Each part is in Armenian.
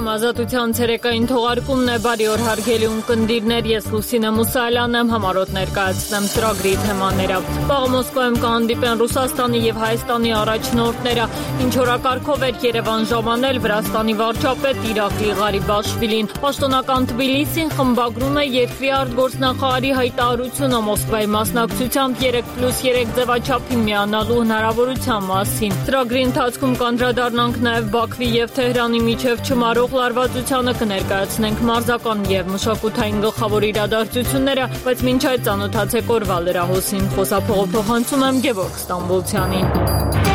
Եթերում ազատության ցերեկային թողարկումն է, բարի օր հարգելի ունկնդիրներ, ես Լուսինե Մուսալյանն եմ, համառոտ ներկայացնեմ ծրագրի թեմաները։ Վաղը Մոսկվայում կհանդիպեն Ռուսաստանի եւ Հայաստանի առաջնորդները, ինչ օրակարգով էր Երևան ժամանել Վրաստանի վարչապետ Իրակլի Ղարիբաշվիլին։ Պաշտոնական Թբիլիսին խմբագրում է երկրի արտգործնախարարի հայտարարությունը Մոսկվայի մասնակցությամբ 3+3 ձևաչափի միանալու հնարավորության մասին։ Ծրագրի ընթացքում կանդրադառնանք նաեւ Բաքվի եւ Թեհրանի միջև չմարող լարվածությանը, կներկայացնենք մարզական եւ մշակութային գլխավոր իրադարձությունները, բայց մինչ այդ ծանոթացեք օրվա լրահոսին։ Խոսափողը փոխանցում եմ Գևորգ Ստամբոլցյանին։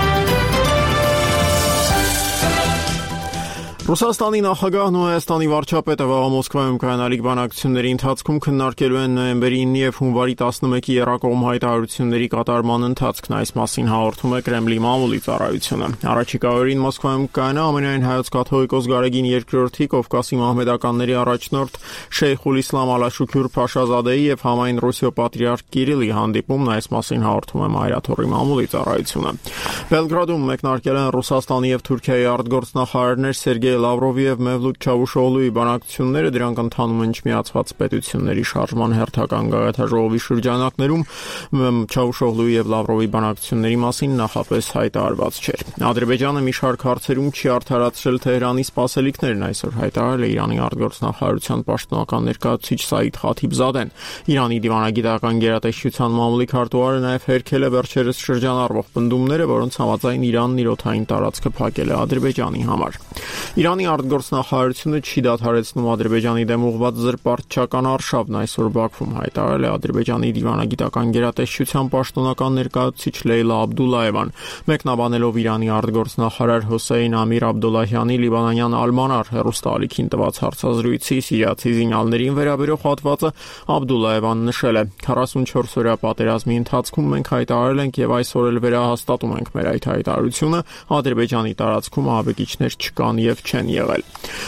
Ռուսաստանի նախագահն ու Հայաստանի վարչապետը վաղը Մոսկվայում կայանալիք բանակցությունների ընթացքում քննարկելու են նոյեմբերի 9 եւ հունվարի 11-ի եռակողմ հայտարարությունների կատարման ընթացքն, այս մասին հաղորդում է Կրեմլի մամուլի ծառայությունը։ Առաջիկա օրերին Մոսկվայում կայանա ամենայն հայոց կաթողիկոս Գարեգին II Կովկասի մահմեդականների առաջնորդ Շեյխուլ Իսլամ Ալաշուքյուր Փաշազադեի եւ համայն Ռուսիո պատրիարք Կիրիլի հանդիպումն, այս մասին հաղորդում է Մայրաթորի մամուլի ծառայությունը։ Բելգրադում մեկնարկել են Ռուսաստանի եւ Թուրքիայի արտգործնախարարներ Սերգեյ Լավրովի եւ Մևլութ Չավուշօղլուի բանակցությունները, դրանք ընթանում են Չմիացված պետությունների շարժման հերթական գագաթաժողովի շրջանակներում։ Չավուշօղլուի եւ Լավրովի բանակցությունների մասին նախապես հայտարարված չէր։ Ադրբեջանը մի շարք հարցերում չի արդարացրել Թեհրանի սպասելիքներն, այսօր հայտարարել է Իրանի արտգործնախարարության պաշտոնական ներկայացուցիչ Սաիդ Խաթիբզադեն։ Իրանի դիվանագիտական գերատեսչության մամուլի քարտուղարը նաեւ հերքել է վերջերս շրջանառվող պնդումները, որոնց համաձայն Իրանն իր օդային տարածքը փակել է Ադրբեջանի համար։ Իրանի արտգործնախարարությունը չի դադարեցնում Ադրբեջանի դեմ ուղղված զրպարտչական արշավն, այսօր Բաքվում հայտարարել է Ադրբեջանի դիվանագիտական գերատեսչության պաշտոնական ներկայացուցիչ Լեյլա Աբդուլլաևան, մեկնաբանելով Իրանի արտգործնախարար Հոսեյն Ամիր Աբդոլլահյանի լիբանանյան Ալմանար հեռուստաալիքին տված հարցազրույցի սիրիացի զինյալներին վերաբերող հատվածը, Աբդուլլաևան նշել է. 44-օրյա պատերազմի ընթացքում մենք հայտարարել ենք եւ այսօր էլ վերահաստատում ենք մեր այդ հայտարարությունը, Ադրբեջանի տարածքում ահաբեկիչներ չկան եւ չեն եղել։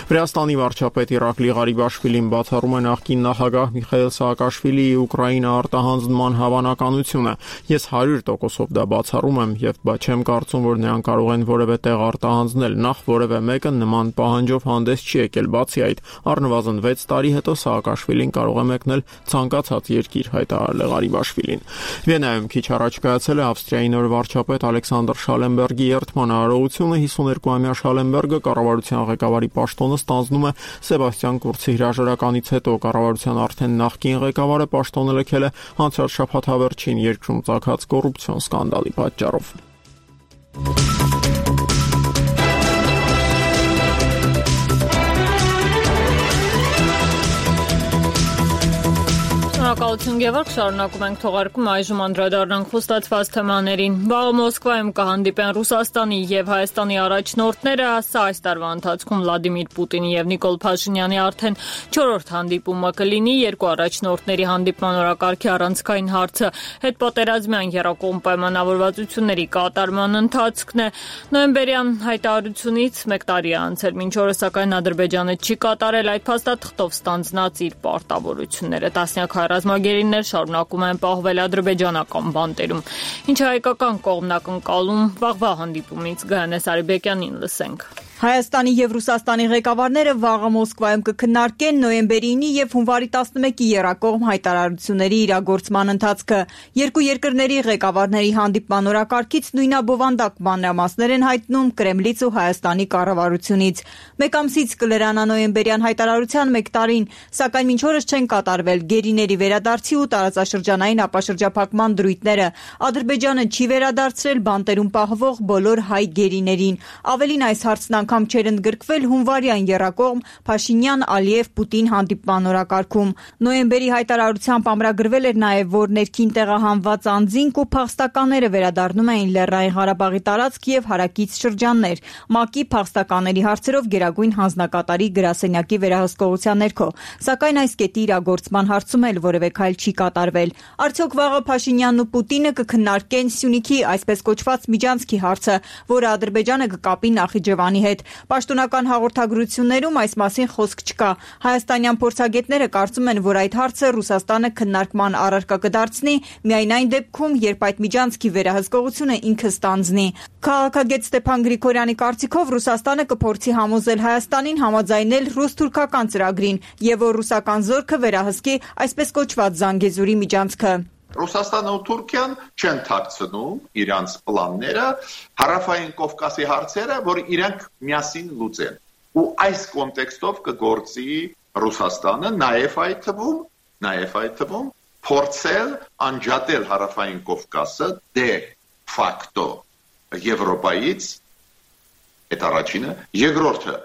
Վրաստանի վարչապետ Իրակլի Ղարիբաշվիլին բացառում է նախկին նախագահ Միխայիլ Սաակաշվիլիի Ուկրաինա արտահանձնման հավանականությունը։ Ես 100%-ով դա բացառում եմ եւ չեմ կարծում, որ նրանք կարող են որևէ տեղ արտահանձնել, նախ որևէ մեկը նման պահանջով հանդես չի եկել, բացի այդ, առնվազն 6 տարի հետո Սաակաշվիլին կարող է մեկնել ցանկացած երկիր, հայտարարել է Ղարիբաշվիլին։ Վիեննայում քիչ առաջ կայացել է Ավստրիայի նոր վարչապետ Ալեքսանդր Շալենբերգի երդման արարողությունը, 52-ամյա Շալենբերգը կառավարության ղեկավարի պաշտոնը ստանձնում է Սեբաստիան Կուրցի հրաժարականից հետո։ Կառավարության արդեն նախկին ղեկավարը պաշտոնը լքել է անցյալ շաբաթավերջին երկրում ծագած կոռուպցիոն սկանդալի պատճառով։ Շնորհակալություն Գևորգ, շարունակում ենք թողարկումը, այժմ անդրադառնանք խոստացված թեմաներին։ Վաղը Մոսկվայում կհանդիպեն Ռուսաստանի եւ Հայաստանի առաջնորդները, սա այս տարվա ընթացքում Վլադիմիր Պուտինի եւ Նիկոլ Փաշինյանի արդեն 4-րդ հանդիպումը կլինի։ Երկու առաջնորդների հանդիպման օրակարգի առանցքային հարցը հետպատերազմյան եռակողմ պայմանավորվածությունների կատարման ընթացքն է։ Նոյեմբերյան հայտարարությունից 1 տարի է անցել, մինչ օրս սակայն Ադրբեջանը չի կատարել այդ փաստաթղթով ստանձնած իր պարտավորությունները։ Տասնյակ ռազմագերիներ շարունակում են պահվել ադրբեջանական բանտերում։ Ինչ հայկական կողմն ակնկալում վաղվա հանդիպումից Գայանե Սարիբեկյանին լսենք։ Հայաստանի եւ Ռուսաստանի ղեկավարները վաղը Մոսկվայում կքննարկեն նոյեմբերի 9-ի եւ հունվարի 11-ի եռակողմ հայտարարությունների իրագործման ընթացքը։ Երկու երկրների ղեկավարների հանդիպման օրակարգից նույնաբովանդակ մանրամասներ են հայտնում Կրեմլից ու Հայաստանի կառավարությունից։ Մեկ ամսից կլրանա նոյեմբերյան հայտարարության 1 տարին, սակայն մինչ օրս չեն կատարվել գերիների վերադարձի ու տարածաշրջանային ապաշրջափակման դրույթները։ Ադրբեջանը չի վերադարձրել բանտերում պահվող բոլոր հայ գերիներին։ Ավելին, այս հարցն անգամ չէր ընդգրկվել հունվարյան եռակողմ Փաշինյան-Ալիև-Պուտին հանդիպման օրակարգում։ Նոյեմբերի հայտարարությամբ ամրագրվել էր նաև, որ ներքին տեղահանված անձինք ու փախստականները վերադառնում էին Լեռնային Ղարաբաղի տարածք եւ հարակից շրջաններ։ ՄԱԿ-ի փախստականների հարցերով գերագույն հանձնակատարի գրասենյակի վերահսկողության ներքո, սակայն այս կետի իրագործման հարցում էլ որևէ քայլ չի կատարվել։ Արդյոք վաղը Փաշինյանն ու Պուտինը կքննարկեն Սյունիքի այսպես կոչված միջանցքի հարցը, որը Ադրբեջանը կկապի Նախիջևանի հետ։ Պաշտոնական հաղորդագրություններում այս մասին խոսք չկա։ Հայաստանյան փորձագետները կարծում են, որ այդ հարցը Ռուսաստանը քննարկման առարկա կդարձնի միայն այն դեպքում, երբ այդ միջանցքի վերահսկողությունը ինքը ստանձնի։ Քաղաքագետ Ստեփան Գրիգորյանի կարծիքով Ռուսաստանը կփորձի համոզել Հայաստանին համաձայնել ռուս-թուրքական ծրագրին եւ որ ռուսական զորքը վերահսկի այսպես կոչված Զանգեզուրի միջանցքը։ Ռուսաստանը ու Թուրքիան չեն թաքցնում իրանց պլանները, հարավային Կովկասի հարցերը, որ իրանք միասին լուծեն։ Ու այս կոնտեքստով կգործի Ռուսաստանը նաև այդ թվում փորձել անջատել հարավային Կովկասը դե ֆակտո Եվրոպայից, այդ առաջինը, երկրորդը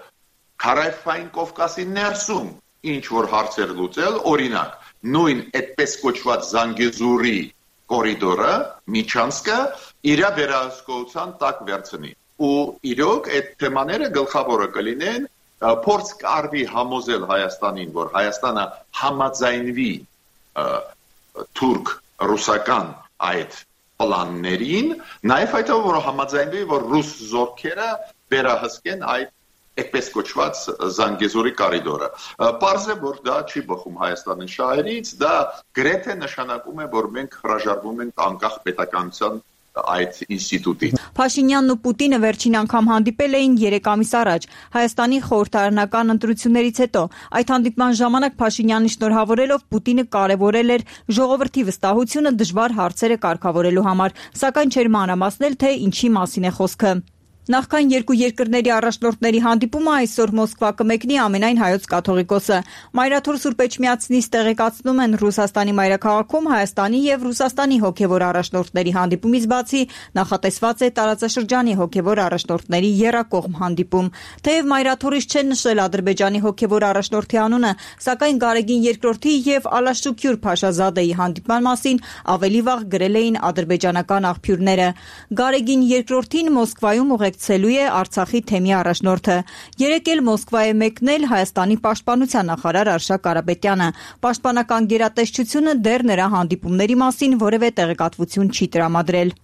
հարավային Կովկասի ներսում ինչ որ հարցեր լուծել, օրինակ նույն այդպես կոչված Զանգեզուրի կորիդորը, միջանցքը իր վերահսկողության տակ վերցնի։ Ու իրոք այդ թեմաները գլխավորը կլինեն, փորձ կարվի համոզել Հայաստանին, որ Հայաստանը համաձայնվի թուրք-ռուսական այդ պլաններին, նաև այդով որ համաձայնվի, որ ռուս զորքերը վերահսկեն այդ այդպես կոչված Զանգեզուրի կորիդորը։ Պարզ է, որ դա չի բխում Հայաստանի շահերից, դա գրեթե նշանակում է, որ մենք հրաժարվում ենք անկախ պետականության այդ ինստիտուտից։ Փաշինյանն ու Պուտինը վերջին անգամ հանդիպել էին 3 ամիս առաջ Հայաստանի խորհրդարանական ընտրություններից հետո։ Այդ հանդիպման ժամանակ Փաշինյանին շնորհավորելով Պուտինը կարևորել էր ժողովրդի վստահությունը դժվար հարցերը կարգավորելու համար, սակայն չէր մանրամասնել, թե ինչի մասին է խոսքը։ Նախքան երկու երկրների առաջնորդների հանդիպումը այսօր Մոսկվա կմեկնի ամենայն հայոց կաթողիկոսը։ Մայրաթոր Սուրբ Էջմիածնից տեղեկացնում են Ռուսաստանի մայրաքաղաքում Հայաստանի եւ Ռուսաստանի հոգեվոր առաջնորդների հանդիպումից բացի նախատեսված է տարածաշրջանի հոգեվոր առաջնորդների եռակողմ հանդիպում։ Թեև Մայրաթորից չեն նշել Ադրբեջանի հոգեվոր առաջնորդի անունը, սակայն Գարեգին II եւ Ալաշուկյուր Փաշազադեի հանդիպման մասին ավելի վաղ գրել էին ադրբեջանական աղբյուրները։ Գարեգին II-ին Մոսկվայում ցելու է Արցախի թեմի առաջնորդը։ Երեկ էլ Մոսկվա է մեկնել Հայաստանի պաշտպանության նախարար Արշակ Կարապետյանը։ Պաշտպանական գերատեսչությունը դեռ նրա հանդիպումների մասին որևէ տեղեկատվություն չի տրամադրել։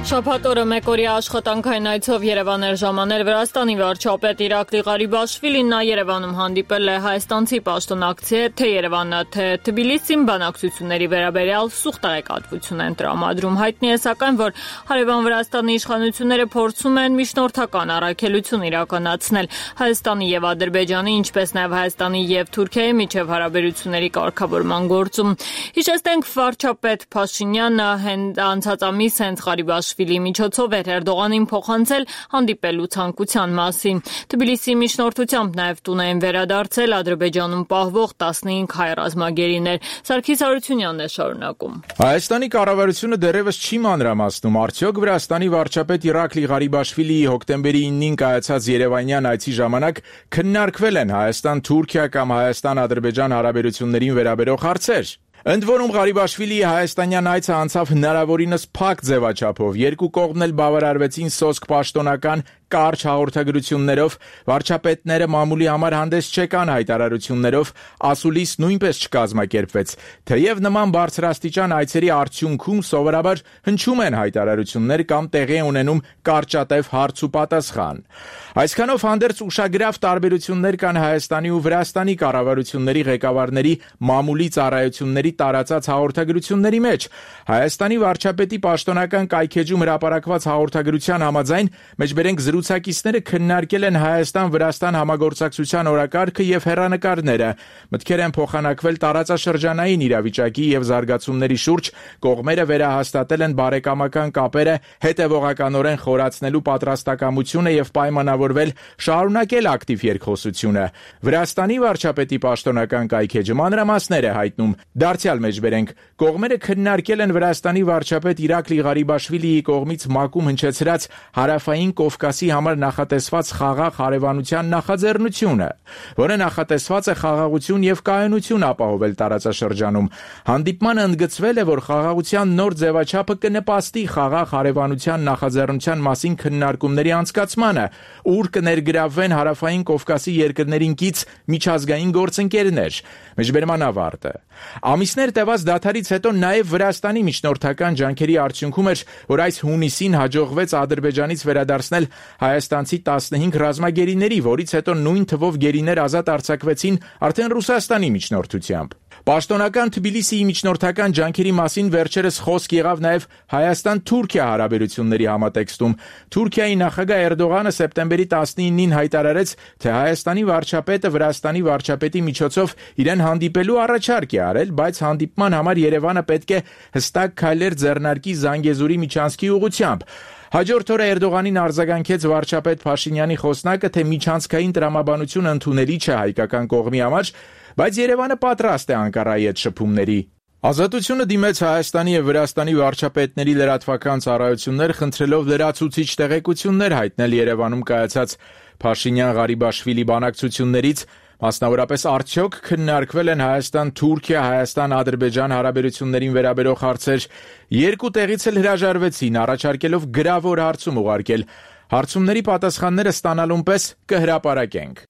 Շաբաթ օրը մեկօրյա աշխատանքային այցով Երևան էր ժամանել Վրաստանի վարչապետ Իրակլի Ղարիբաշվիլին, նա Երևանում հանդիպել է հայաստանցի պաշտոնակցի հետ, թե Երևանը, թե Թբիլիսին բանակցությունների վերաբերյալ սուղ տեղեկատվություն են տրամադրում։ Հայտնի է սակայն, որ հարևան Վրաստանի իշխանությունները փորձում են միջնորդական առաքելություն իրականացնել Հայաստանի եւ Ադրբեջանի, ինչպես նաեւ Հայաստանի եւ Թուրքիայի միջև հարաբերությունների կարգավորման գործում։ Հիշեցնենք, վարչապետ Փաշինյանը անցած ամիս հենց Ղարիբաշվիլի միջոցով էր Էրդողանին փոխանցել հանդիպելու ցանկության մասին։ Թբիլիսի միջնորդությամբ նաև տուն էին վերադարձել Ադրբեջանում պահվող 15 հայ ռազմագերիներ։ Սարգիս Հարությունյանն է շարունակում։ Հայաստանի կառավարությունը դեռևս չի մանրամասնում, արդյոք Վրաստանի վարչապետ Իրակլի Ղարիբաշվիլիի հոկտեմբերի 9-ին կայացած Երևանյան այցի ժամանակ քննարկվել են Հայաստան-Թուրքիա կամ Հայաստան-Ադրբեջան հարաբերություններին վերաբերող հարցեր։ Ընդ որում Ղարիբաշվիլիի հայաստանյան այցը անցավ հնարավորինս փակ ձևաչափով, երկու կողմն էլ բավարարվեցին սոսկ պաշտոնական կարճ հաղորդագրություններով, վարչապետները մամուլի համար հանդես չեկան հայտարարություններով, ասուլիս նույնպես չկազմակերպվեց, թեև նման բարձրաստիճան այցերի արդյունքում սովորաբար հնչում են հայտարարություններ կամ տեղի ունենում կարճատև հարց ու պատասխան։ Այսքանով հանդերձ ուշագրավ տարբերություններ կան Հայաստանի ու Վրաստանի կառավարությունների ղեկավարների մամուլի ծառայությունների տարածած հաղորդագրությունների մեջ։ Հայաստանի վարչապետի պաշտոնական կայքեջում հրապարակված հաղորդագրության համաձայն մեջբերենք զրուցակիցները քննարկել են Հայաստան-Վրաստան համագործակցության օրակարգը եւ հեռանկարները, մտքեր են փոխանակվել տարածաշրջանային իրավիճակի եւ զարգացումների շուրջ, կողմերը վերահաստատել են բարեկամական կապերը, հետեւողականորեն խորացնելու պատրաստակամությունը եւ պայմանավորվել շարունակել ակտիվ երկխոսությունը։ Վրաստանի վարչապետի պաշտոնական կայքեջը մանրամասներ է հայտնում։ Դարձյալ մեջբերենք, կողմերը քննարկել են Վրաստանի վարչապետ Իրակլի Ղարիբաշվիլիի կողմից մակում հնչեցրած հարավային Կովկասի հայաստանցի համար նախատեսված խաղաղ հարևանության նախաձեռնությունը, որը նախատեսված է խաղաղություն եւ կայունություն ապահովել տարածաշրջանում։ Հանդիպմանը ընդգծվել է, որ խաղաղության նոր ձևաչափը կնպաստի խաղաղ հարևանության նախաձեռնության մասին քննարկումների անցկացմանը, ուր կներգրավվեն Հարավային Կովկասի երկրներին կից միջազգային գործընկերներ։ Մեջբերման ավարտը։ Ամիսներ տևած դադարից հետո նաև Վրաստանի միջնորդական ջանքերի արդյունքում էր, որ այս հունիսին հաջողվեց Ադրբեջանից վերադարձնել հայաստանցի 15 ռազմագերիների, որից հետո նույն թվով գերիներ ազատ արձակվեցին արդեն Ռուսաստանի միջնորդությամբ։ Պաշտոնական Թբիլիսիի միջնորդական ջանքերի մասին վերջերս խոսք եղավ նաև Հայաստան-Թուրքիա հարաբերությունների համատեքստում։ Թուրքիայի նախագահ Էրդողանը սեպտեմբերի 19-ին հայտարարեց, թե Հայաստանի վարչապետը Վրաստանի վարչապետի միջոցով իրեն հանդիպելու առաջարկ է արել, բայց հանդիպման համար Երևանը պետք է հստակ քայլեր ձեռնարկի Զանգեզուրի միջանցքի ուղղությամբ։ Հաջորդ օրը Էրդողանին արձագանքեց վարչապետ Փաշինյանի խոսնակը, թե միջանցքային տրամաբանությունը ընդունելի չէ հայկական կողմի համար, բայց Երևանը պատրաստ է Անկարայի հետ շփումների։ Ազատությունը դիմեց Հայաստանի եւ Վրաստանի վարչապետների լրատվական ծառայություններ, խնդրելով լրացուցիչ տեղեկություններ հայտնել Երևանում կայացած Փաշինյան-Ղարիբաշվիլի բանակցություններից, մասնավորապես արդյոք քննարկվել են Հայաստան-Թուրքիա, Հայաստան-Ադրբեջան հարաբերություններին վերաբերող հարցեր։ Երկու տեղից էլ հրաժարվեցին, առաջարկելով գրավոր հարցում ուղարկել։ Հարցումների պատասխանները ստանալուն պես կհրապարակենք։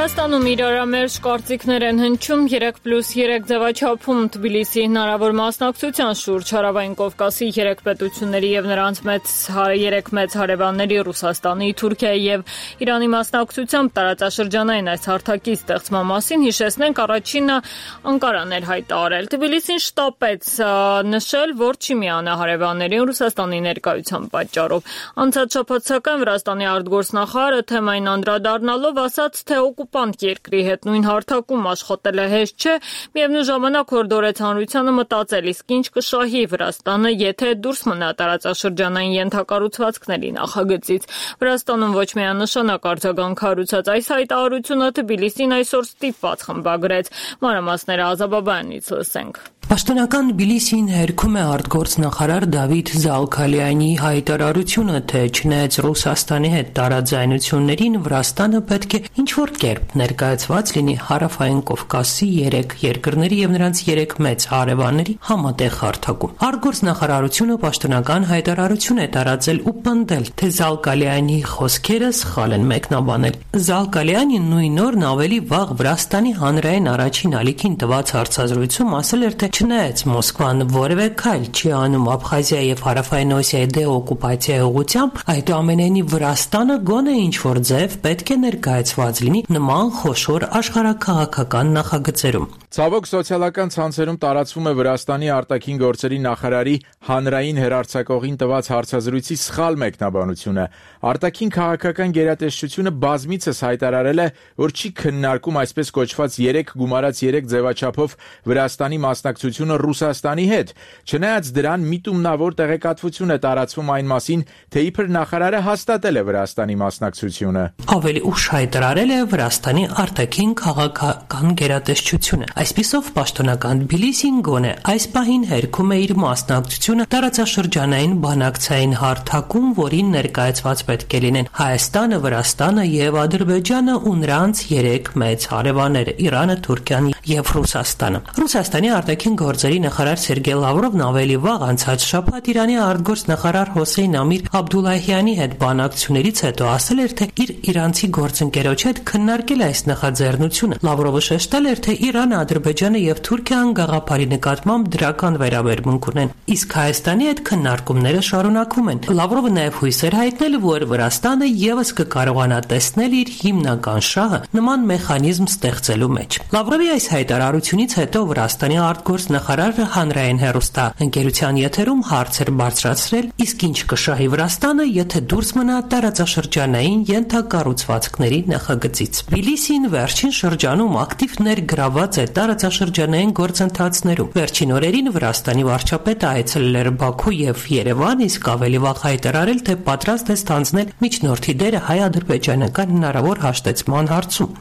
Վրաստանում իրարամերժ կարծիքներ են հնչում 3+3 ձևաչափում Թբիլիսիի հնարավոր մասնակցության շուրջ Հարավային Կովկասի 3 պետությունների եւ նրանց 3 մեծ հարևանների Ռուսաստանի, Թուրքիայի եւ Իրանի մասնակցությամբ տարածաշրջանային այս հարթակի ստեղծման մասին հիշեցնենք, առաջինը Անկարան էր հայտարարել։ Թբիլիսին շտապեց նշել, որ չի միանա հարևաններին Ռուսաստանի ներկայության պատճառով։ Անցած շաբաթ սակայն Վրաստանի արտգործնախարարը թեմային անդրադառնալով ասաց, թե օկուպանտ երկրի հետ նույն հարթակում աշխատելը հեշտ չէ, միևնույն ժամանակ հորդորեց հանրությանը մտածել, իսկ ինչ կշահի Վրաստանը, եթե դուրս մնա տարածաշրջանային ենթակառուցվածքների նախագծից։ Վրաստանում ոչ միանշանակ արձագանք հարուցած այս հայտարարությունը Թբիլիսին այսօր ստիպված խմբագրեց։ Մանրամասները Ազաբաբյանից լսենք։ Պաշտոնական Թբիլիսին հերքում է արտգործնախարար Դավիթ Զալքալյանի հայտարարությունը, թե չնայած Ռուսաստանի հետ տարաձայնություններին, Վրաստանը պետք է ինչ-որ կերպ ներկայացված լինի Հարավային Կովկասի 3 երկրների եւ նրանց 3 մեծ հարևանների համատեղ հարթակում։ Արտգործնախարարությունը պաշտոնական հայտարարություն է տարածել ու պնդել, թե Զալքալյանի խոսքերը սխալ են մեկնաբանել։ Զալքալյանին նույն օրն ավելի վաղ Վրաստանի հանրային առաջին ալիքին տված հարցազրույցում ասել էր, թե չնայած Մոսկվան որևէ քայլ չի անում Աբխազիայի եւ Հարավային Օսիայի դեօկուպացիայի ուղղությամբ, այդուամենայնիվ Վրաստանը գոնե ինչ-որ ձև պետք է ներկայացված լինի նման խոշոր աշխարհաքաղաքական նախագծերում։ Ցավոք սոցիալական ցանցերում տարածվում է Վրաստանի արտաքին գործերի նախարարի հանրային հեռարձակողին տված հարցազրույցի սխալ մեկնաբանությունը։ Արտաքին քաղաքական գերատեսչությունը բազմիցս հայտարարել է, որ չի քննարկում այսպես կոչված 3 գումարած 3 ձևաչափով Վրաստանի մասնակցությունը Ռուսաստանի հետ։ Չնայած դրան միտումնավոր տեղեկատվություն է տարածվում այն մասին, թե իբր նախարարը հաստատել է Վրաստանի մասնակցությունը։ Ավելի ուշ հայտարարել է Վրաստանի արտաքին քաղաքական գերատեսչությունը։ Այսպիսով պաշտոնական Թբիլիսին գոնե այս պահին հերքում է իր մասնակցությունը տարածաշրջանային բանակցային հարթակում, որին ներկայացված պետք է լինեն Հայաստանը, Վրաստանը եւ Ադրբեջանը ու նրանց 3 մեծ հարևանները՝ Իրանը, Թուրքիան եւ Ռուսաստանը։ Ռուսաստանի արտաքին գործերի նախարար Սերգեյ Լավրովն ավելի վաղ անցած շաբաթ Իրանի արտգործնախարար Հոսեյն Ամիր Աբդուլլահյանի հետ բանակցություններից հետո ասել էր, թե իր իրանցի գործընկերոջ հետ քննարկել այս նախաձեռնությունը։ Լավրովը շեշտել էր, թե Իրանը, Ադրբեջանը եւ Թուրքիան գաղափարի նկատմամբ դրական վերաբերմունք ունեն, իսկ Հայաստանի հետ քննարկումները շարունակվում են։ Լավրովը նաեւ հույս էր հայտնել, որ Վրաստանը եւս կկարողանա տեսնել իր հիմնական շահը նման մեխանիզմ ստեղծելու մեջ։ Լավրովի այս հայտարարությունից հետո Վրաստանի արտգործնախարարը հանրային հեռուստաընկերության եթերում հարց էր բարձրացրել, իսկ ինչ կշահի Վրաստանը, եթե դուրս մնա տարածաշրջանային ենթակառուցվածքների նախագծից։ Թբիլիսին վերջին շրջանում ակտիվ ներգրավված է տարածաշրջանային գործընթացներում։ Վերջին օրերին Վրաստանի վարչապետը այցելել էր Բաքու եւ Երևան, իսկ ավելի վաղ հայտարարել, թե պատրաստ է ստանձնել միջնորդի դերը հայ-ադրբեջանական հնարավոր հաշտեցման հարցում։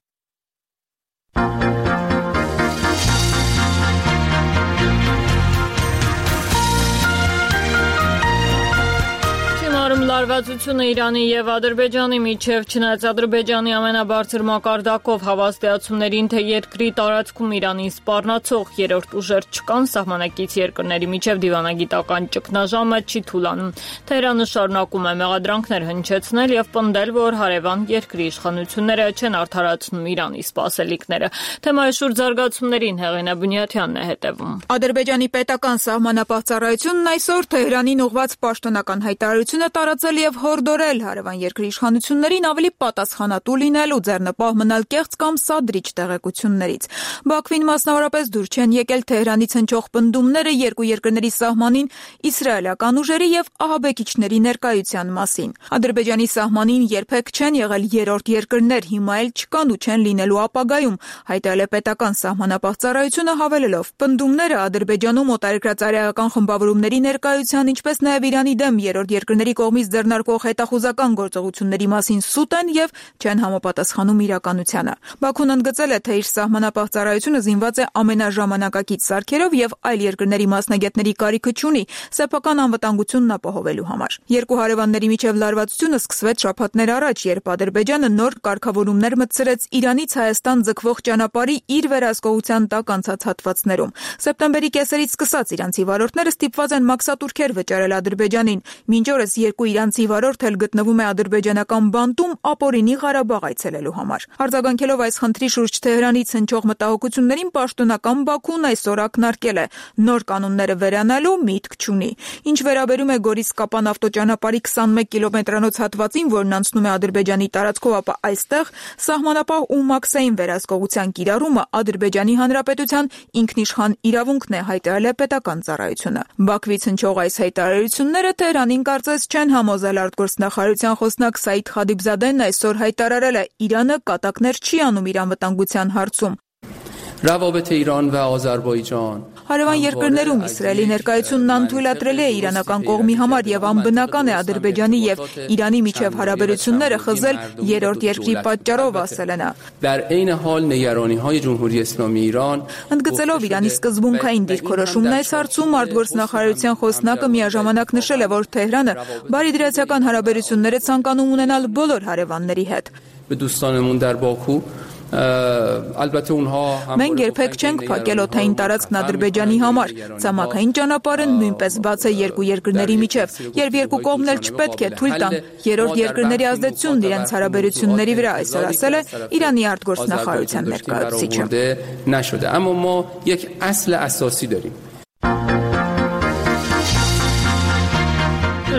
լարվածությունը Իրանի եւ Ադրբեջանի միջև չնայած Ադրբեջանի ամենաբարձր մակարդակով հավաստիացումներին, թե երկրի տարածքում Իրանին սպառնացող երրորդ ուժեր չկան, սահմանակից երկրների միջև դիվանագիտական ճգնաժամը չի թուլանում։ Թեհրանը շարունակում է մեղադրանքներ հնչեցնել եւ պնդել, որ հարևան երկրի իշխանությունները չեն արդարացնում Իրանի սպասելիքները։ Թեմայի շուրջ զարգացումներին Հեղինե Բունյաթյանն է հետևում։ Ադրբեջանի պետական սահմանապահ ծառայությունն այսօր Թեհրանին ուղղված պաշտոնական հայտարարություն է տարածել եւ հորդորել հարևան երկրի իշխանություններին ավելի պատասխանատու լինել ու ձեռնպահ մնալ կեղծ կամ սադրիչ տեղեկություններից։ Բաքվին մասնավորապես դուր չեն եկել Թեհրանից հնչող պնդումները երկու երկրների սահմանին իսրայելական ուժերի եւ ահաբեկիչների ներկայության մասին։ Ադրբեջանի սահմանին երբեք չեն եղել երրորդ երկրներ, հիմա էլ չկան ու չեն լինելու ապագայում, հայտարարել է պետական սահմանապահ ծառայությունը, հավելելով. պնդումները Ադրբեջանում օտարերկրածայրական խմբավորումների ներկայության, ինչպես նաև Իրանի դեմ երրորդ երկրների կողմից ձեռնարկվող հետախուզական գործողությունների մասին սուտ են եւ չեն համապատասխանում իրականությանը։ Բաքուն ընդգծել է, թե իր սահմանապահ ծառայությունը զինված է ամենաժամանակակից սարքերով եւ այլ երկրների մասնագետների կարիքը չունի սեփական անվտանգությունն ապահովելու համար։ Երկու հարևանների միջև լարվածությունը սկսվեց շաբաթներ առաջ, երբ Ադրբեջանը նոր կարգավորումներ մտցրեց Իրանից Հայաստան ձգվող ճանապարհի իր վերահսկողության տակ անցած հատվածներում։ Սեպտեմբերի կեսերից սկսած իրանցի վարորդները ստիպված են մաքսատուրքեր վճարել Ադրբեջանին։ Մինչ օրս երկու իրանցի վարորդ էլ գտնվում է ադրբեջանական բանտում ապօրինի Ղարաբաղ այցելելու համար։ Արձագանքելով այս խնդրի շուրջ Թեհրանից հնչող մտահոգություններին, պաշտոնական Բաքուն այսօր ակնարկել է. նոր կանոնները վերանալու միտք չունի։ Ինչ վերաբերում է Գորիս-Կապան ավտոճանապարհի 21 կիլոմետրանոց հատվածին, որն անցնում է Ադրբեջանի տարածքով, ապա այստեղ սահմանապահ ու մաքսային վերահսկողության կիրառումը Ադրբեջանի Հանրապետության ինքնիշխան իրավունքն է, հայտարարել է պետական ծառայությունը։ Բաքվից հնչող այս հայտարարությունները Թեհրանին կարծես չեն համոզել արտգործնախարարության խոսնակ Սաիդ Խադիբզադեն այսօր հայտարարել է. Իրանը կատակներ չի անում իր անվտանգության հարցում։ روابط ایران و آذربایجان Հարևան երկրներում Իսրայելի ներկայությունն անթույլատրել է իրանական կողմի համար եւ անբնական է Ադրբեջանի եւ Իրանի միջև հարաբերությունները խզել երրորդ երկրի պատճառով, ասել է նա։ در عین حال نگرانی‌های جمهوری اسلامی ایران Ընդգծելով Իրանի սկզբունքային դիրքորոշումն այս հարցում, արտգործնախարարության խոսնակը միաժամանակ նշել է, որ Թեհրանը բարիդրացիական հարաբերություններ է ցանկանում ունենալ բոլոր հարևանների հետ։ به دوستانمون در باکو البته اونها Մենք երբեք չենք փակել օդային տարածքն Ադրբեջանի համար։ Ցամաքային ճանապարհը նույնպես բաց է երկու երկրների միջև, երբ երկու կողմն էլ չպետք է թույլ տան երրորդ երկրների ազդեցությունն իրենց հարաբերությունների վրա, այսօր ասել է Իրանի արտգործնախարարության ներկայացուցիչը։ نشده اما ما یک اصل اساسی داریم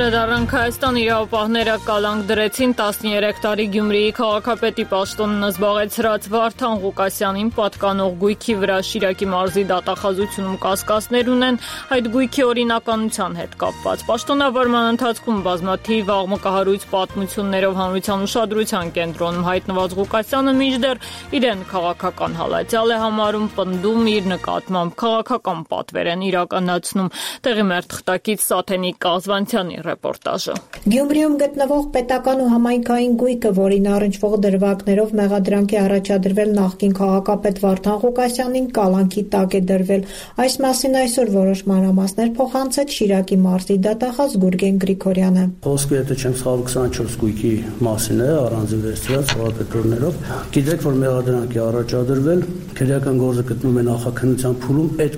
Վերադառնանք Հայաստան իրավապահները կալանք դրեցին 13 տարի Գյումրիի քաղաքապետի պաշտոնն զբաղեցրած Վարդան Ղուկասյանին պատկանող գույքի վրա Շիրակի մարզի դատախազությունում կասկածներ ունեն այդ գույքի օրինականության հետ կապված։ Պաշտոնավարման ընթացքում բազմաթիվ աղմկահարույց պատմություններով հանրության ուշադրության կենտրոնում հայտնված Ղուկասյանը մինչդեռ իրեն քաղաքական հալածյալ է համարում, պնդում իր նկատմամբ քաղաքական պատվեր են իրականացնում։ Տեղի մեր թղթակից Սաթենիկ Կազվանցյանի ռեպորտաժը։ Գյումրիում գտնվող պետական ու համայնքային գույքը, որին առնչվող դրվագներով մեղադրանք է առաջադրվել նախկին քաղաքապետ Վարդան Ղուկասյանին, կալանքի տակ է դրվել։ Այս մասին այսօր որոշ մանրամասներ փոխանցեց Շիրակի մարզի դատախազ Գուրգեն Գրիգորյանը։ Խոսքը եթե չեմ սխալվում 24 գույքի մասին է, առանձին վերցրած հողապետորներով։ Գիտեք, որ մեղադրանք է առաջադրվել, քրեական գործը գտնվում է նախաքննության փուլում, այդ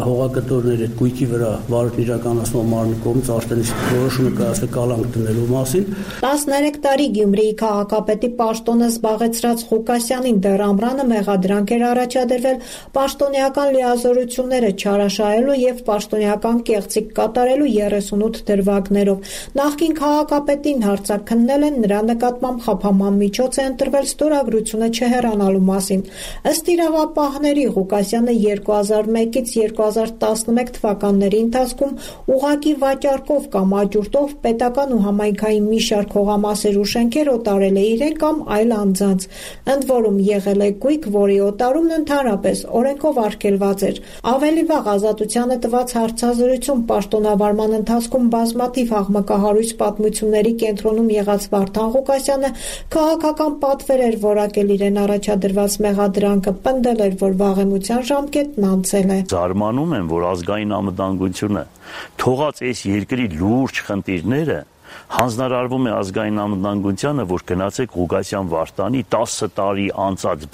հողակտորների այդ գույքի վրա վարույթ իրականացնող մարմնի կողմից արտենից որոշումը կայացվել կալանք դնելու մասին։ 13 տարի Գյումրիի քաղաքապետի պաշտոնը զբաղեցրած Ղուկասյանին դեռ ամռանը մեղադրանք էր առաջադրվել պաշտոնեական լիազորությունները չարաշահելու եւ պաշտոնեական կեղծիք կատարելու 38 դրվագներով։ Նախկին քաղաքապետին հարցաքննել են, նրա նկատմամբ խափաման միջոց է ընտրվել ստորագրությունը չհեռանալու մասին։ Ըստ իրավապահների Ղուկասյանը 2001-ից 2011 թվականների ընթացքում ուղղակի վաճառքով կամ աջուրտով պետական ու համայնքային մի շարք հողամասեր ու շենքեր օտարել է իրեն կամ այլ անձանց։ Ընդ որում եղել է գույք, որի օտարումն ընդհանրապես օրենքով արգելված էր։ Ավելի վաղ Ազատությանը տված հարցազրույցում պաշտոնավարման ընթացքում բազմաթիվ աղմկահարույց պատմությունների կենտրոնում եղած Վարդան Ղուկասյանը քաղաքական պատվեր էր որակել իրեն առաջադրված մեղադրանքը, պնդել էր, որ վաղեմության ժամկետն անցել է։ Զարմանում եմ, որ ազգային անվտանգությունը թողած այս երկրի լուրջ խնդիրները հանձնարարվում է ազգային անվտանգությանը, որ գնացեք Ղուկասյան Վարդանի 10 տարի անցած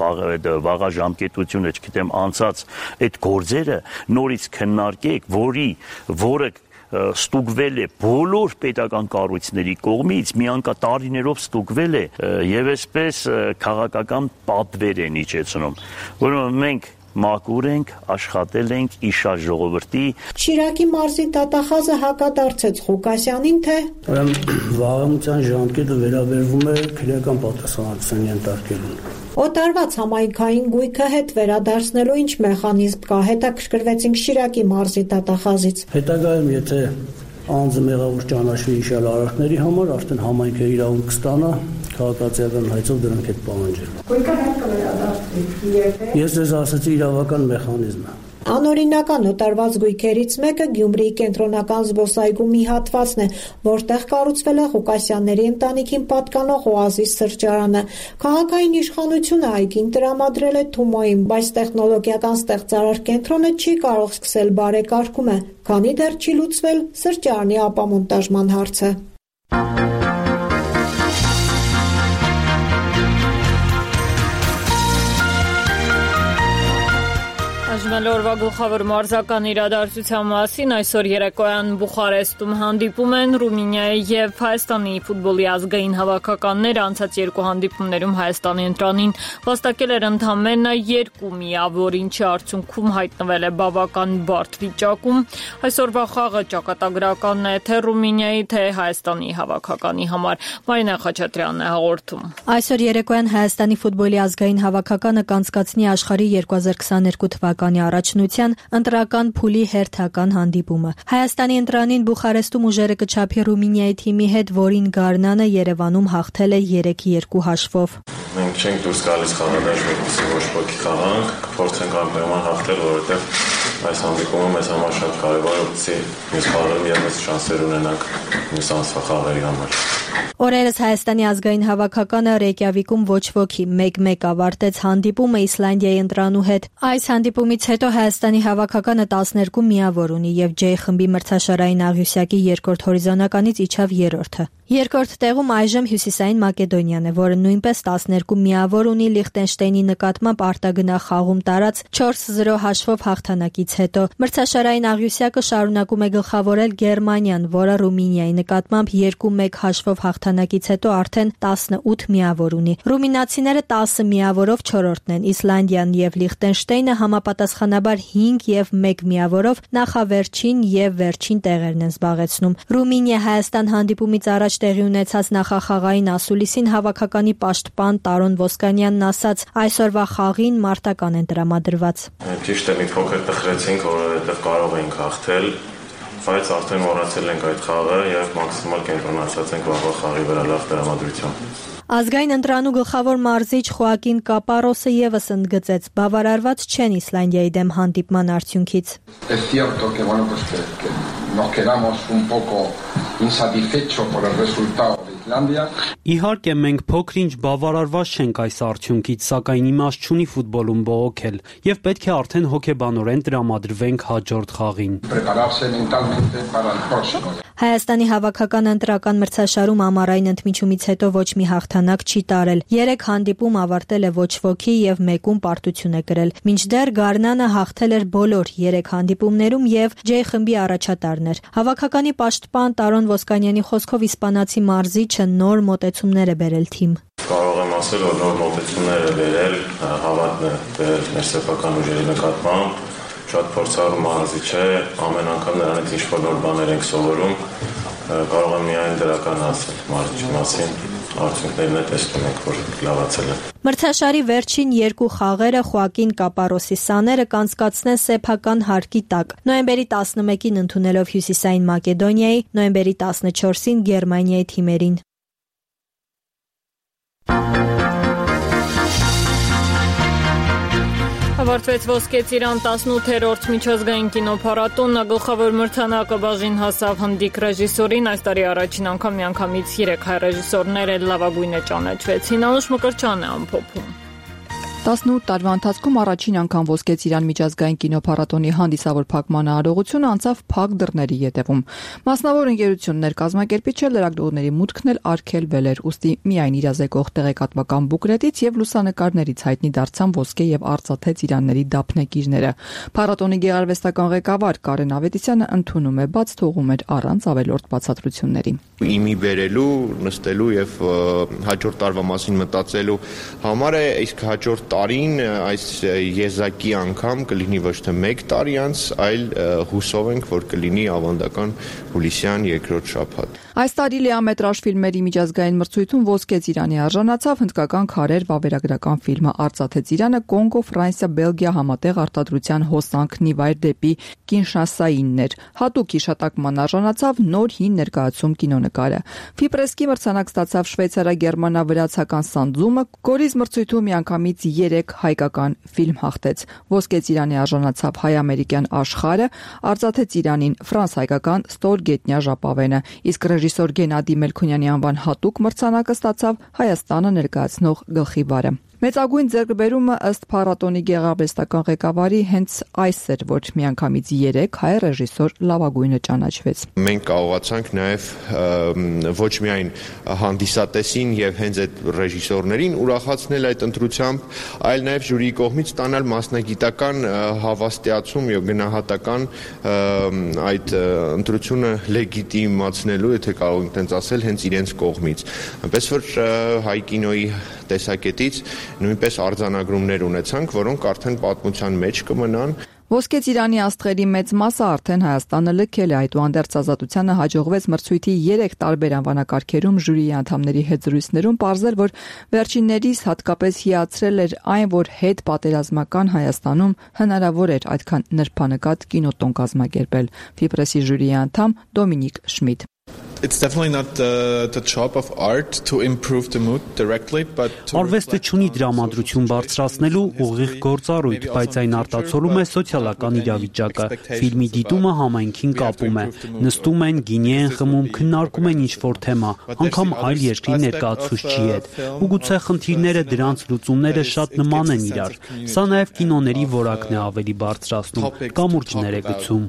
վաղաժամկետությունը, չգիտեմ, անցած այդ գործերը նորից քննարկեք, որը ստուգվել է բոլոր պետական կառույցների կողմից, միանկատարիներով ստուգվել է եւ այսպես քաղաքական պատվեր են իջեցնում, որոնց մենք մաքուր ենք, աշխատել ենք իշար ժողովրդի։ Շիրակի մարզի դատախազը հակադարձեց Ղուկասյանին, թե վաղամության ժամկետը վերաբերվում է քրեական պատասխանատվության ենթարկելուն։ Օտարված համայնքային գույքը հետ վերադարձնելու ինչ մեխանիզմ կա, հետաքրքրվեցինք Շիրակի մարզի դատախազից։ Հետագայում, եթե անձը մեղավոր ճանաչվի իշալ արարքների համար, արդեն համայնքը իրավունք կստանա քաղաքացիական հայցով դրանք հետ պահանջել։ Գույքը հետ կվերադարձվի։ Ես ձեզ ասացի իրավական մեխանիզմը։ Անօրինական օտարված գույքերից մեկը Գյումրիի կենտրոնական զբոսայգու մի հատվածն է, որտեղ կառուցվել է Ղուկասյանների ընտանիքին պատկանող օազիս սրճարանը։ Քաղաքային իշխանությունը այգին տրամադրել է Թումոյին, բայց տեխնոլոգիական ստեղծարար կենտրոնը չի կարող սկսել բարեկարգումը, քանի դեռ չի լուծվել սրճարանի ապամոնտաժման հարցը։ Օրվա գլխավոր մարզական իրադարձության մասին այսօր երեկոյան Բուխարեստում հանդիպում են Ռումինիայի եւ Հայաստանի ֆուտբոլի ազգային հավաքականները, անցած երկու հանդիպումներում Հայաստանի ընտրանին վաստակել էր ընդամենը 2 միավոր, ինչի արդյունքում հայտնվել է բավական բարդ վիճակում։ Այսօրվա խաղը ճակատագրական է թե Ռումինիայի, թե Հայաստանի հավաքականի համար։ Մարինա Խաչատրյանն է հաղորդում։ Այսօր երեկոյան Հայաստանի ֆուտբոլի ազգային հավաքականը կանցկացնի աշխարհի 2022 թվականի առաջնության ընտրական փուլի հերթական հանդիպումը։ Հայաստանի ընտրանին Բուխարեստում ուժերը կչափի Ռումինիայի թիմի հետ, որին Գառնանը Երևանում հաղթել է 3-2 հաշվով։ Մենք չենք դուրս գալիս խաղադաշտ, որպեսզի ոչ ոքի խաղանք, կփորձենք անկեղման հաղթել, որովհետև այս հանդիպումը մեզ համար շատ կարևոր է, որպեսզի մյուս խաղերում ևս շանսեր ունենանք մյուս ամսվա խաղերի համար։ Օրերս Հայաստանի ազգային հավաքականը Ռեյկյավիկում ոչ ոքի 1-1 ավարտեց հանդիպումը Իսլանդիայի ընտրանու հետ։ Այս հանդիպումից հետո Հայաստանի հավաքականը 12 միավոր ունի եւ J խմբի մրցաշարային աղյուսակի երկրորդ հորիզոնականից իջավ երրորդը։ Երկրորդ տեղում այժմ Հյուսիսային Մակեդոնիան է, որը նույնպես 12 միավոր ունի Լիխտենշտեյնի նկատմամբ արտագնա խաղում տարած 4-0 հաշվով հաղթանակից հետո։ Մրցաշարային աղյուսակը շարունակում է գլխավորել Գերմանիան, որը Ռումինիայի նկատմամբ 2-1 հաշվով հաղթանակից հետո արդեն 18 միավոր ունի։ Ռումինացիները 10 միավորով 4-րդն են, Իսլանդիան եւ Լիխտենշտեյնը համապատասխանաբար 5 եւ 1 միավորով նախավերջին եւ վերջին տեղերն են զբաղեցնում։ Ռումինիա-Հայաստան հանդիպումից առաջ տեղի ունեցած նախախաղային ասուլիսին հավաքականի պաշտպան Տարոն Ոսկանյանն ասաց. այսօրվա խաղին մարտական են տրամադրված։ Ճիշտ է, մի փոքր տխրեցինք, որովհետև կարող էինք հաղթել, բայց արդեն մոռացել ենք այդ խաղը եւ մաքսիմալ կենտրոնացած ենք վաղվա խաղի վրա լավ տրամադրությամբ։ Ազգային ընտրանու գլխավոր մարզիչ Խոակին Կապարոսը եւս ընդգծեց. բավարարված չեն Իսլանդիայի դեմ հանդիպման արդյունքից։ Nos quedamos un poco insatisfechos por el resultado de Islandia. Իհարկե մենք փոքր-ինչ բավարարված չենք այս արդյունքից, սակայն իմաստ չունի ֆուտբոլում բողոքել եւ պետք է արդեն հոգեբանորեն տրամադրվենք հաջորդ խաղին։ Prepararse mentalmente para el próximo. Հայաստանի հավաքական ընտրական մրցաշարում ամառային ընդմիջումից հետո ոչ մի հաղթանակ չի տարել։ 3 հանդիպում ավարտել է ոչ ոքի եւ մեկում պարտություն է կրել։ Մինչդեռ Գառնանը հաղթել էր բոլոր 3 հանդիպումներում եւ J խմբի առաջատարն էր։ Հավաքականի պաշտպան Տարոն Ոսկանյանի խոսքով իսպանացի մարզիչը նոր մոտեցումներ է բերել թիմ։ Կարող եմ ասել, որ նոր մոտեցումներ է բերել, հավատն է բերել մեր սեփական ուժերի նկատմամբ, շատ փորձառու մարզիչ է, ամեն անգամ նրանից ինչ-որ նոր բաներ ենք սովորում, կարող եմ միայն դրական ասել մարզիչի մասին, արդյունքներն է տեսնում ենք, որ լավացել են։ Մրցաշարի վերջին 2 խաղերը Խոակին Կապարոսի սաները կանցկացնեն սեփական հարկի տակ։ Նոյեմբերի 11-ին ընդունելով Հյուսիսային Մակեդոնիայի, նոյեմբերի 14-ին Գերմանիայի թիմերին։ Ավարտվեց Ոսկե ծիրան 18-րդ միջազգային կինոփառատոնը, գլխավոր մրցանակը բաժին հասավ հնդիկ ռեժիսորին, այս տարի առաջին անգամ միանգամից 3 հայ ռեժիսորներ լավագույնը ճանաչվեցին, Անուշ Մկրտչյանն է ամփոփում։ 18 տարվա ընթացքում առաջին անգամ Ոսկե Ծիրան միջազգային կինոփառատոնի հանդիսավոր փակման արարողությունը անցավ փակ դռների ետևում։ Մասնավոր ընկերություններ կազմակերպիչը լրագրողների մուտքն էլ արգելվել էր, ուստի միայն իրազեկող տեղեկատվական բուկլետից եւ լուսանկարներից հայտնի դարձան Ոսկե եւ Արծաթե Ծիրանների դափնեկիրները։ Փառատոնի գեղարվեստական ղեկավար Կարեն Ավետիսյանը ընդունում է, բաց թողում էր առանց ավելորդ բացատրությունների։ Իմի բերելու, նստելու եւ հաջորդ տարվա մասին մտածելու համար է, իսկ հաջորդ տարին այս եզակի անգամ կլինի ոչ թե 1 տարի անց, այլ հուսով ենք, որ կլինի ավանդական հուլիսյան երկրորդ շաբաթ։ Այս տարի լիամետրաժ ֆիլմերի միջազգային մրցույթում Ոսկե Ծիրանի արժանացավ հնդկական քարեր վավերագրական ֆիլմը Արծաթե Ծիրանը Կոնգո, Ֆրանսիա, Բելգիա համատեղ արտադրության հոսանքն ի վայր դեպի Կինշասայինն էր։ Հատուկ հիշատակման արժանացավ նոր հին ներկայացում կինոնկարը։ Ֆիպրեսկի մրցանակ ստացավ շվեյցարա-գերմանա-վրացական Սանդզումը, Գորիս մրցույթում միանգամից 3 հայկական ֆիլմ հաղթեց։ Ոսկե Ծիրանի արժանացավ հայ-ամերիկյան Աշխարհը, Արծաթե Ծիրանին ֆրանս-հայկական Ստորգետնյա ժապավենը, իսկ ռեժիսոր Գենադի Մելքոնյանի անվան հատուկ մրցանակը ստացավ Հայաստանը ներկայացնող գլխիվարը։ Մեծագույն ձեռքբերումը ըստ փառատոնի գեղարվեստական ղեկավարի հենց այս էր, որ միանգամից 3 հայ ռեժիսոր լավագույնը ճանաչվեց։ Մենք կարողացանք նաև ոչ միայն հանդիսատեսին եւ հենց այդ ռեժիսորներին ուրախացնել այդ ընտրությամբ, այլ նաև ժյուրիի կողմից ստանալ մասնագիտական հավաստիացում եւ գնահատական այդ ընտրությունը լեգիտիմացնելու, եթե կարող ենք տենց ասել, հենց իրենց կողմից։ Այնպես որ հայ կինոյի տեսակետից նույնպես արձանագրումներ ունեցանք, որոնք արդեն պատմության մեջ կմնան։ Ոսկե Ծիրանի աստղերի մեծ մասը արդեն Հայաստանը լքել է, այդուհանդերձ Ազատությանը հաջողվեց մրցույթի 3 տարբեր անվանակարգերում ժյուրիի անդամների հետ զրույցներում պարզել, որ վերջիններիս հատկապես հիացրել էր այն, որ հետ պատերազմական Հայաստանում հնարավոր էր այդքան նրբանկատ կինոտոն կազմակերպել։ Ֆիպրեսի ժյուրիի անդամ Դոմինիկ Շմիդ։ It's definitely not the job of art to improve the mood directly, but Արվեստը չունի դրամատրություն բարձրացնելու ուղիղ գործառույթ, բայց այն արտացոլում է սոցիալական իրավիճակը։ Ֆիլմի դիտումը համայնքին կապում է։ Նստում են, գինի են խմում, քննարկում են ինչ-որ թեմա, անգամ այլ երկրի ներկայացուցչի հետ։ Ու գուցե խնդիրները, դրանց լուծումները շատ նման են իրար։ Սա նաև կինոների որակն է ավելի բարձրացնում, կամուրջներ է գցում։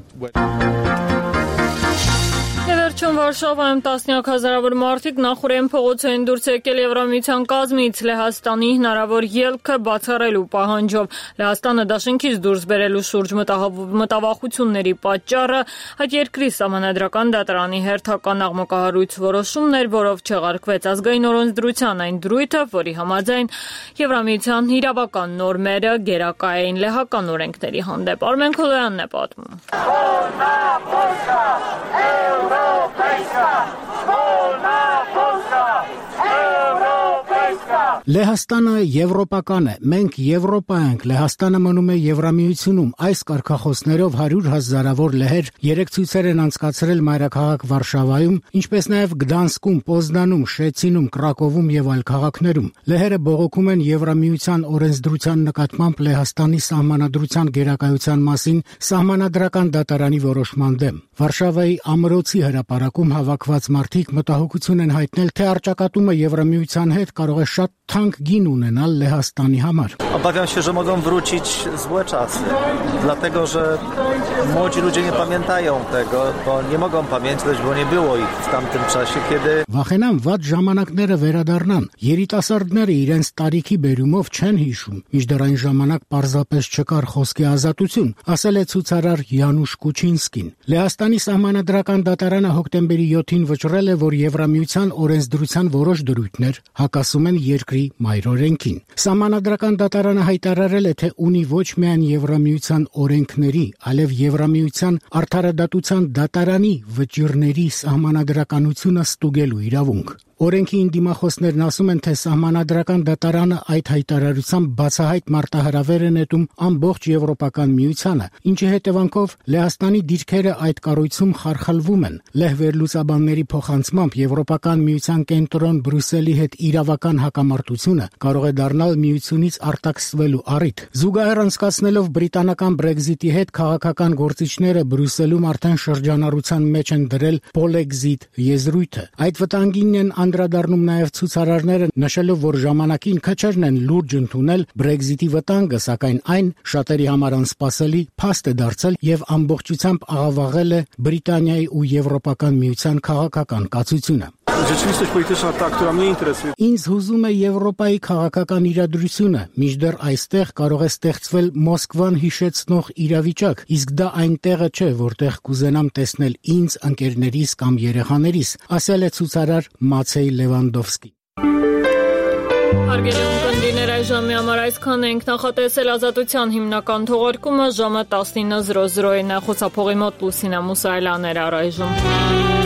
Վերջում Վարշավայում տասնյակ հազարավոր մարդիկ նախօրեն փողոց են դուրս եկել Եվրամիության կազմից Լեհաստանի հնարավոր ելքը բացառելու պահանջով։ Լեհաստանը դաշինքից դուրս բերելու շուրջ մտավախությունների պատճառը այդ երկրի սահմանադրական դատարանի հերթական աղմկահարույց որոշումն էր, որով չեղարկվեց ազգային օրենսդրության այն դրույթը, որի համաձայն Եվրամիության իրավական նորմերը գերակա էին լեհական օրենքների հանդեպ։ Արմեն Քոլոյանն է պատմում։ Լեհաստանը եվրոպական է, մենք Եվրոպա ենք, Լեհաստանը մնում է Եվրամիությունում։ Այս կարգախոսներով 100,000-ավոր լեհեր երեք ցույցեր են անցկացրել մայրաքաղաք Վարշավայում, ինչպես նաև Գդանսկում, Պոզնանում, Շեցինում, Կրակովում եւ այլ քաղաքներում։ Լեհերը բողոքում են Եվրամիության օրենսդրության նկատմամբ Լեհաստանի սահմանադրության գերակայության մասին սահմանադրական դատարանի որոշման դեմ։ Վարշավայի ամրոցի հրապարակում հավաքված մարդիկ մտահոգություն են հայտնել, թե առճակատումը Եվրամիության հետ կարող է շատ թանկ գին ունենալ Լեհաստանի համար։ Obawiam się, że mogą wrócić złe czasy, dlatego że młodzi ludzie nie pamiętają tego, bo nie mogą pamiętać, bo nie było ich w tamtym czasie, kiedy Վախենան վատ ժամանակները վերադառնան։ Երիտասարդները իրենց տարիքի բերումով չեն հիշում, մինչդեռ այն ժամանակ պարզապես չկար խոսքի ազատություն, ասել է ցուցարար Յանուշ Կուչինսկին։ Լեհաստանի սահմանադրական դատարանը հոկտեմբերի 7-ին վճռել է, որ Եվրամիության օրենսդրության որոշ դրույթներ հակասում են երկրի մայրօրենքին։ Սահմանադրական դատարանը հայտարարել է, թե ունի ոչ միայն Եվրամիության օրենքների, այլև Եվրամիության արդարադատության դատարանի վճիռների սահմանադրականությունը ստուգելու իրավունք։ Օրենքի դիմախոսներն ասում են, թե սահմանադրական դատարանը այդ հայտարարությամբ բացահայտ մարտահրավեր է նետում ամբողջ Եվրոպական միությանը, ինչի հետևանքով Լեհաստանի դիրքերը այդ կառույցում խարխլվում են։ Լեհ վերլուծաբանների փոխանցմամբ Եվրոպական միության կենտրոն Բրյուսելի հետ իրավական հակամարտությունը կարող է դառնալ միությունից արտաքսվելու առիթ։ Զուգահեռ անցկացնելով բրիտանական Brexit-ի հետ քաղաքական գործիչները Բրյուսելում արդեն շրջանառության մեջ են դրել Polexit եզրույթը։ Այդ վտանգին են անդրադառնում նաև ցուցարարները, նշելով, որ ժամանակին քչերն են լուրջ ընդունել Brexit-ի վտանգը, սակայն այն շատերի համար անսպասելի փաստ է դարձել եւ ամբողջությամբ աղավաղել է Բրիտանիայի ու Եվրոպական միության քաղաքական կացությունը։ Ինձ հուզում է Եվրոպայի քաղաքական իրադրությունը, մինչդեռ այստեղ կարող է ստեղծվել Մոսկվան հիշեցնող իրավիճակ, իսկ դա այն տեղը չէ, որտեղ կուզենամ տեսնել ինձ, ընկերներիս կամ երեխաներիս, ասել է ցուցարար Մացեյ Լևանդովսկի։ Հարգելի ունկնդիրներ, այժմի համար այսքան ենք, նախատեսել Ազատության հիմնական թողարկումը ժամը 19:00-ին է, խոսափողի մոտ Լուսինա Մուսայելյան էր առայժմ։